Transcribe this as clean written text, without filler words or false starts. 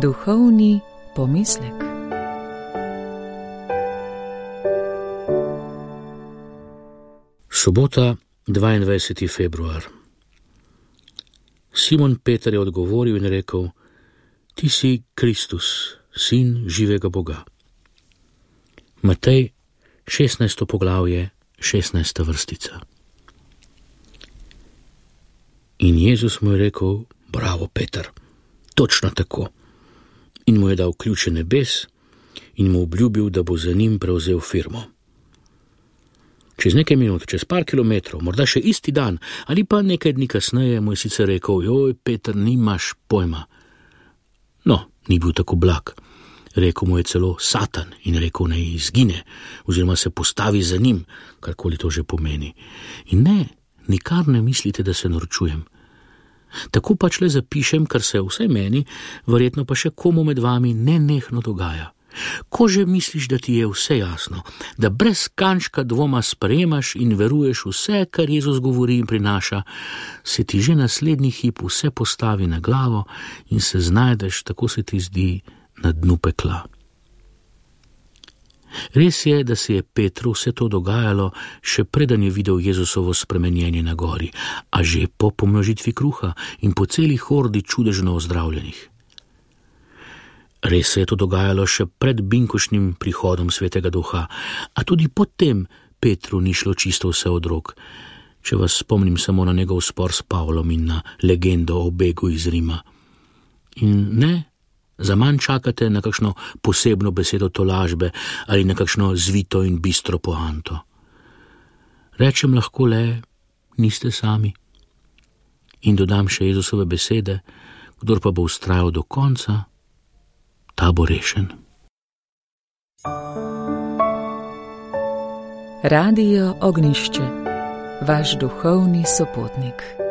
Duhovni pomislek. Sobota, 22. februar. Simon Peter je odgovoril in rekel: Ti si Kristus, sin živega Boga. Matej, 16. poglavje, 16. vrstica. In Jezus mu je rekel: Bravo, Peter, točno tako. In mu je dal ključe nebes in mu obljubil, da bo za njim prevzel firmo. Čez nekaj minut, čez par kilometrov, morda še isti dan ali pa nekaj dni kasneje, mu je sicer rekel: Joj, Peter, nimaš pojma. No, ni bil tako blag. Rekel mu je celo Satan in rekel, naj izgine oziroma se postavi za njim, karkoli to že pomeni. In ne, nikar ne mislite, da se norčujem. Tako pač le zapišem, kar se vsaj meni, verjetno pa še komu med vami nenehno dogaja. Ko že misliš, da ti je vse jasno, da brez kančka dvoma sprejemaš in veruješ vse, kar Jezus govori in prinaša, se ti že naslednji hip vse postavi na glavo in se znajdeš, tako se ti zdi, na dnu pekla. Res je, da se je Petru vse to dogajalo, še preden je videl Jezusovo spremenjenje na gori, a že po pomnožitvi kruha in po celi hordi čudežno ozdravljenih. Res se je to dogajalo še pred binkošnim prihodom Svetega Duha, a tudi potem Petru ni šlo čisto vse od rok, če vas spomnim samo na njegov spor s Pavlom in na legendo o begu iz Rima. In ne, zaman čakate na kakšno posebno besedo tolažbe ali na kakšno zvito in bistro poanto. Rečem lahko le, niste sami. In dodam še Jezusove besede: kdor pa bo vztrajal do konca, ta bo rešen. Radio Ognišče, vaš duhovni sopotnik.